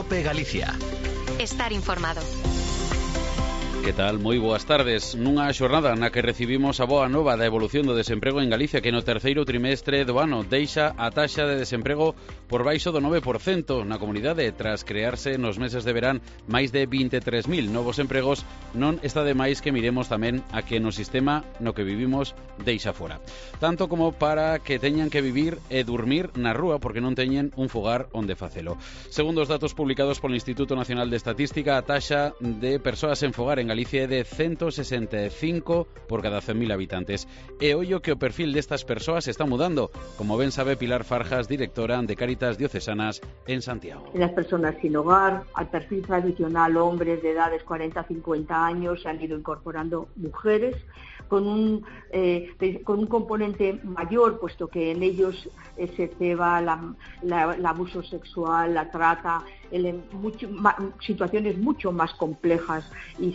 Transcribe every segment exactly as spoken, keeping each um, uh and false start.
COPE Galicia. Estar informado. Que tal? Moi boas tardes. Nunha xornada na que recibimos a boa nova da evolución do desemprego en Galicia, que no terceiro trimestre do ano deixa a taxa de desemprego por baixo do nove por cento na comunidade, tras crearse nos meses de verán máis de vinte e tres mil novos empregos. Non está de máis que miremos tamén a que no sistema no que vivimos deixa fora, tanto como para que teñan que vivir e dormir na rúa porque non teñen un fogar onde facelo. Segundo os datos publicados polo Instituto Nacional de Estatística, a taxa de persoas en fogar en Galicia é de ciento sesenta e cinco por cada cen mil habitantes. E ollo que o perfil destas persoas está mudando, como ben sabe Pilar Farjas, directora de Cáritas Diocesanas en Santiago. En las personas sin hogar, al perfil tradicional, hombres de edades cuarenta a cincuenta años, se han ido incorporando mujeres con un, eh, con un componente mayor, puesto que en ellos eh, se ceba la, la, el abuso sexual, la trata, el, mucho, ma, situaciones mucho más complejas y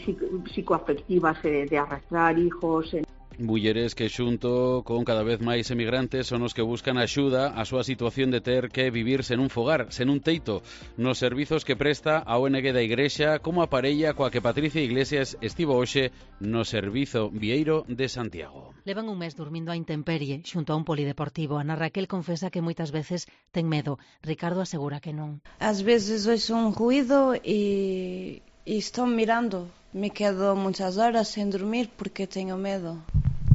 psicoafectivas eh, de arrastrar hijos. En... Mulleres que xunto con cada vez máis emigrantes son os que buscan axuda a súa situación de ter que vivir sen un fogar, sen un teito, nos servizos que presta a O N G da Igrexa, como a parella coa que Patricia Iglesias estivo hoxe no servizo Vieiro de Santiago. Levan un mes dormindo a intemperie xunto a un polideportivo. Ana Raquel confesa que moitas veces ten medo. Ricardo asegura que non. Ás veces oiso un ruido e, e estou mirando. Me quedo muchas horas sen dormir porque teño medo.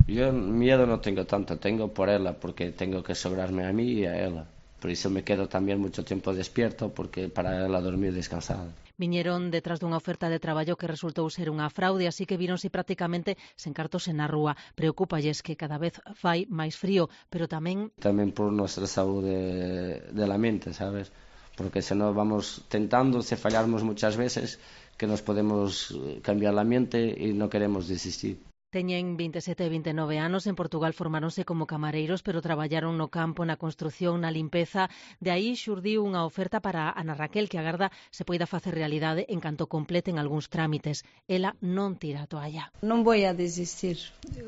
Yo miedo no tengo tanto, tengo por ela, porque tengo que sobrarme a mí y a ela. Por iso me quedo tamén moito tempo despierto, porque para ela dormir descansada. Viñeron detrás dunha oferta de traballo que resultou ser unha fraude, así que víronse prácticamente sen cartos na rúa. Preocúpalles que cada vez fai máis frío, pero tamén... Tamén por nosa saúde de la mente, sabes? Porque se non vamos tentando, se fallamos muchas veces, que nos podemos cambiar la mente e non queremos desistir. Teñen vinte e sete e vinte e nove anos, en Portugal formáronse como camareiros, pero traballaron no campo, na construción, na limpeza. De aí xurdiu unha oferta para Ana Raquel, que agarda se poida facer realidade en canto completen algúns trámites. Ela non tira a toalla. Non vou a desistir.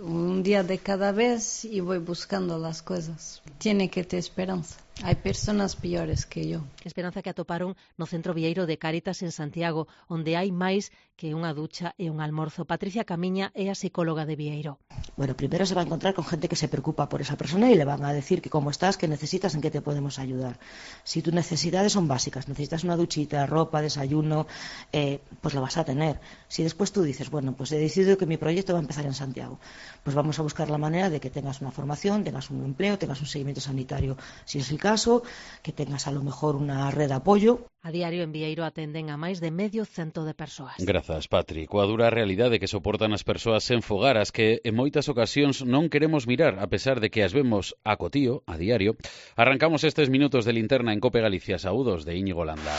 Un día de cada vez e vou buscando as coisas. Tiene que ter esperanza. Hai persoas piores que eu. Esperanza que atoparon no Centro Vieiro de Cáritas en Santiago, onde hai máis que unha ducha e un almorzo. Patricia Camiña é a psicóloga de Vieiro. Bueno, primero se va a encontrar con gente que se preocupa por esa persona y le van a decir que cómo estás, que necesitas, en qué te podemos ayudar. Si tus necesidades son básicas, necesitas una duchita, ropa, desayuno, eh, pues lo vas a tener. Si después tú dices, bueno, pues he decidido que mi proyecto va a empezar en Santiago, pues vamos a buscar la manera de que tengas una formación, tengas un empleo, tengas un seguimiento sanitario. Si es el caso, que tengas a lo mejor una red de apoyo. A diario en Vieiro atenden a máis de medio cento de persoas. Grazas, Patri. Coa dura realidade que soportan as persoas sen fogar, as que en moitas ocasións non queremos mirar, a pesar de que as vemos a cotío, a diario, arrancamos estes minutos de linterna en Cope Galicia. Saúdos de Íñigo Landa.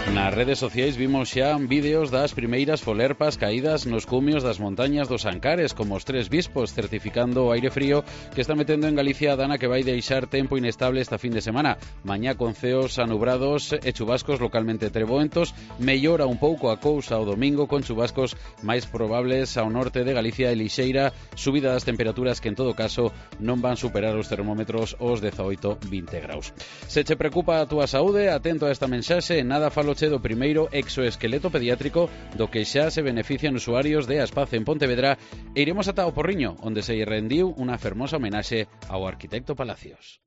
Nas redes sociais vimos xa vídeos das primeiras folerpas caídas nos cumios das montañas dos Ancares, como os tres bispos, certificando o aire frío que está metendo en Galicia a dana que vai deixar tempo inestable esta fin de semana. Mañá con ceos anubrados e chubascos localmente treboentos, mellora un pouco a cousa o domingo con chubascos máis probables ao norte de Galicia e lixeira subida das temperaturas que en todo caso non van superar os termómetros os dezaoito a vinte graus. Se che preocupa a túa saúde, atento a esta mensaxe, nada falo do primeiro exoesqueleto pediátrico do que xa se benefician usuarios de Aspaz en Pontevedra e iremos ata o Porriño, onde se rendiu unha fermosa homenaxe ao arquitecto Palacios.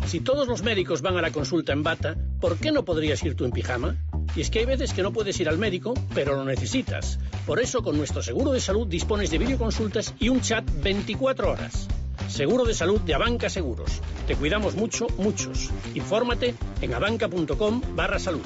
Si todos los médicos van a la consulta en bata, ¿por qué no podrías ir tú en pijama? Y es que hay veces que no puedes ir al médico, pero lo necesitas. Por eso, con nuestro seguro de salud dispones de videoconsultas y un chat veinticuatro horas. Seguro de salud de Abanca Seguros. Te cuidamos mucho, muchos. Infórmate en abanca.com barra salud.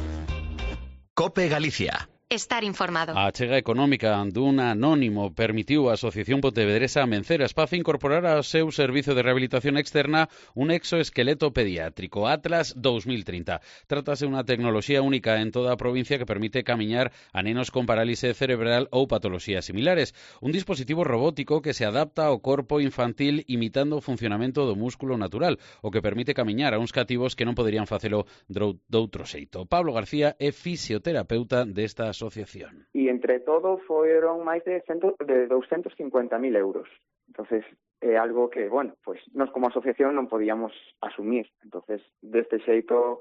COPE Galicia. Estar informado. A achega económica dun anónimo permitiu a Asociación Pontevedresa Amencer Aspaz incorporar ao seu servizo de rehabilitación externa un exoesqueleto pediátrico Atlas dos mil trinta. Trátase unha tecnoloxía única en toda a provincia que permite camiñar a nenos con parálise cerebral ou patoloxías similares. Un dispositivo robótico que se adapta ao corpo infantil imitando o funcionamento do músculo natural, o que permite camiñar a uns cativos que non poderían facelo doutro xeito. Pablo García é fisioterapeuta desta asociación. Y entre todo fueron máis de, de doscientos cincuenta mil euros. Entonces, é eh, algo que, bueno, pues nos como asociación non podíamos asumir. Entonces, deste xeito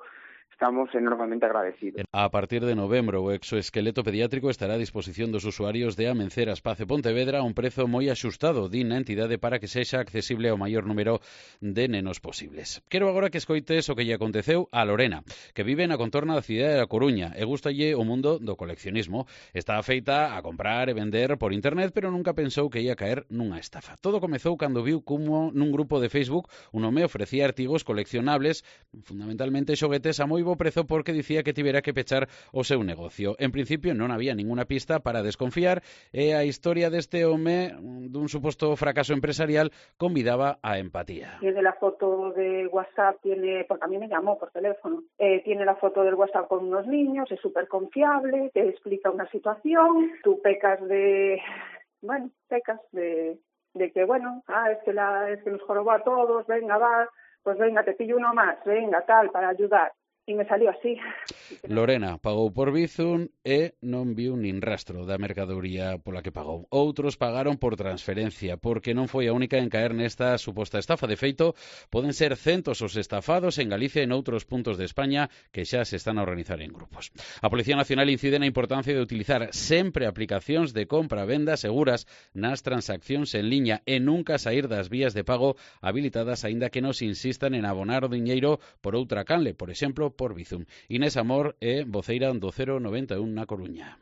estamos enormemente agradecidos. A partir de novembro, o exoesqueleto pediátrico estará a disposición dos usuarios de Amencer Espacio Pontevedra a un prezo moi axustado, din na entidade, para que sexa accesible ao maior número de nenos posibles. Quero agora que escoites o que lle aconteceu a Lorena, que vive na contorna da cidade da Coruña e gustalle o mundo do coleccionismo. Está feita a comprar e vender por internet, pero nunca pensou que ia caer nunha estafa. Todo comezou cando viu como nun grupo de Facebook un home ofrecía artigos coleccionables, fundamentalmente xoguetes a moi bo prezo, porque dicía que tivera que pechar o seu negocio. En principio non había ninguna pista para desconfiar e a historia deste home dun suposto fracaso empresarial convidaba a empatía. Tiene la foto de WhatsApp, tiene, porque a mí me llamó por teléfono, eh, tiene la foto del WhatsApp con unos niños, es súper confiable, te explica una situación, tú pecas de, bueno, pecas de, de que, bueno, ah, es que, la, es que nos jorobó a todos, venga, va, pues venga, te pillo uno más, venga, tal, para ayudar. E me salió así. Lorena pagou por Bizum e non viu nin rastro da mercadoría pola que pagou. Outros pagaron por transferencia, porque non foi a única en caer nesta suposta estafa. De feito, poden ser centos os estafados en Galicia e noutros puntos de España que xa se están a organizar en grupos. A Policía Nacional incide na importancia de utilizar sempre aplicacións de compra-venda seguras nas transaccións en liña e nunca sair das vías de pago habilitadas, aínda que nos insistan en abonar o diñeiro por outra canle, por exemplo, por Bizum. Inés Amor é voceira do cero noventa e un na Coruña.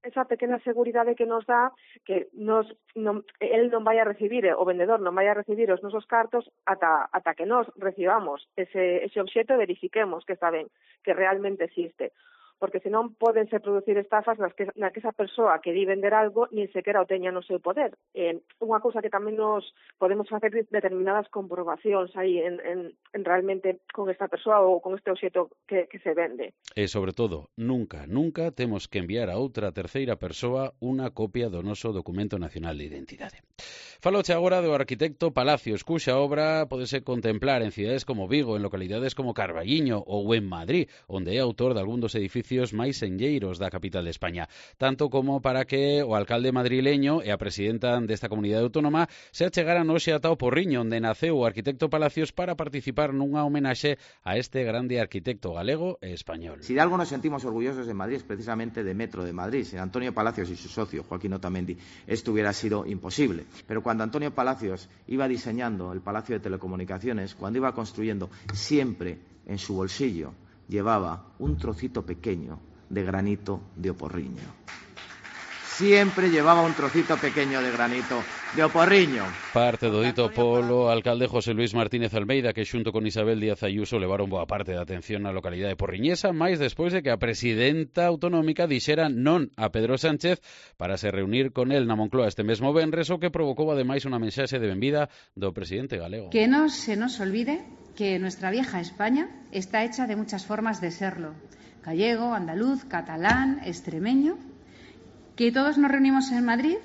Esa pequena seguridade que nos dá que nos non, el non vai a recibir, o vendedor non vai a recibir os nosos cartos ata, ata que nos recibamos ese, ese obxeto e verifiquemos que está ben, que realmente existe. Porque senón podense producir estafas nas que, na que esa persoa que di vender algo nin sequera o teña no seu poder. Eh, unha cousa que tamén nos podemos facer determinadas comprobacións aí en, en, en realmente con esta persoa ou con este obxeto que, que se vende. E, sobre todo, nunca, nunca temos que enviar a outra terceira persoa unha copia do noso documento nacional de identidade. Faloche agora do arquitecto Palacios, cuxa obra podese contemplar en cidades como Vigo, en localidades como Carballiño ou en Madrid, onde é autor de algún dos edificios máis enlleiros da capital de España, tanto como para que o alcalde madrileño e a presidenta desta comunidade autónoma se achegaran hoxe ata o Porriño, onde naceu o arquitecto Palacios, para participar nunha homenaxe a este grande arquitecto galego e español. Si de algo nos sentimos orgullosos en Madrid es precisamente de Metro de Madrid. Sin Antonio Palacios y su socio, Joaquín Otamendi, esto hubiera sido imposible. Pero cuando Antonio Palacios iba diseñando el Palacio de Telecomunicaciones, cuando iba construyendo, siempre en su bolsillo llevaba un trocito pequeño de granito de Oporriño. Siempre llevaba un trocito pequeño de granito de Oporriño. Parte do dito polo alcalde José Luis Martínez Almeida, que xunto con Isabel Díaz Ayuso levaron boa parte da atención na localidade porriñesa, máis despois de que a presidenta autonómica dixera non a Pedro Sánchez para se reunir con el na Moncloa este mesmo venres, o que provocou ademais unha mensaxe de benvida do presidente galego. Que non se nos olvide que nuestra vieja España está hecha de muchas formas de serlo: gallego, andaluz, catalán, extremeño, que todos nos reunimos en Madrid,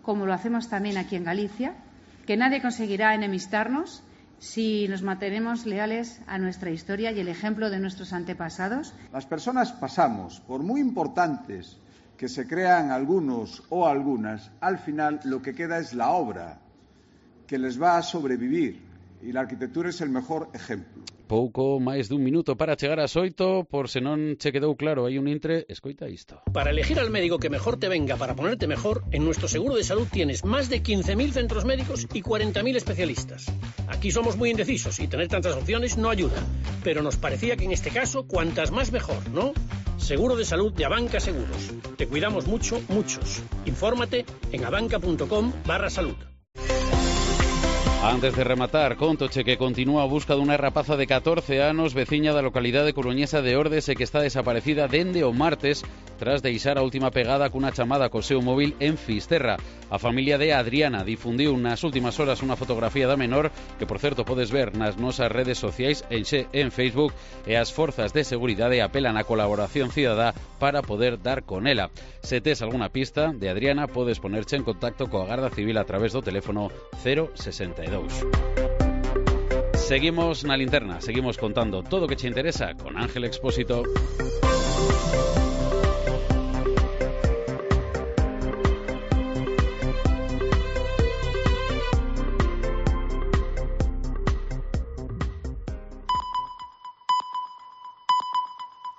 como lo hacemos también aquí en Galicia, que nadie conseguirá enemistarnos si nos mantenemos leales a nuestra historia y el ejemplo de nuestros antepasados. Las personas pasamos, por muy importantes que se crean algunos o algunas, al final lo que queda es la obra que les va a sobrevivir, y la arquitectura es el mejor ejemplo. Pouco máis dun minuto para chegar ás oito, por se non che quedou claro, hai un intre, escoita isto. Para elegir al médico que mejor te venga para ponerte mejor, en nuestro seguro de salud tienes más de quince mil centros médicos y cuarenta mil especialistas. Aquí somos muy indecisos y tener tantas opciones no ayuda, pero nos parecía que en este caso cuantas más mejor, ¿no? Seguro de salud de Abanca Seguros. Te cuidamos mucho, muchos. Infórmate en abanca.com barra salud. Antes de rematar, contoche que continúa a busca dunha rapaza de catorce anos veciña da localidade coruñesa de Ordes e que está desaparecida dende o martes tras deixar a última pegada cunha chamada co seu móvil en Fisterra. A familia de Adriana difundiu nas últimas horas unha fotografía da menor que, por certo, podes ver nas nosas redes sociais en Xe en Facebook, e as forzas de seguridade apelan á colaboración cidadá para poder dar con ela. Se tes algunha pista de Adriana, podes ponerche en contacto coa Garda Civil a través do teléfono cero sesenta e dous. Seguimos na linterna, seguimos contando todo o que che interesa con Ángel Expósito.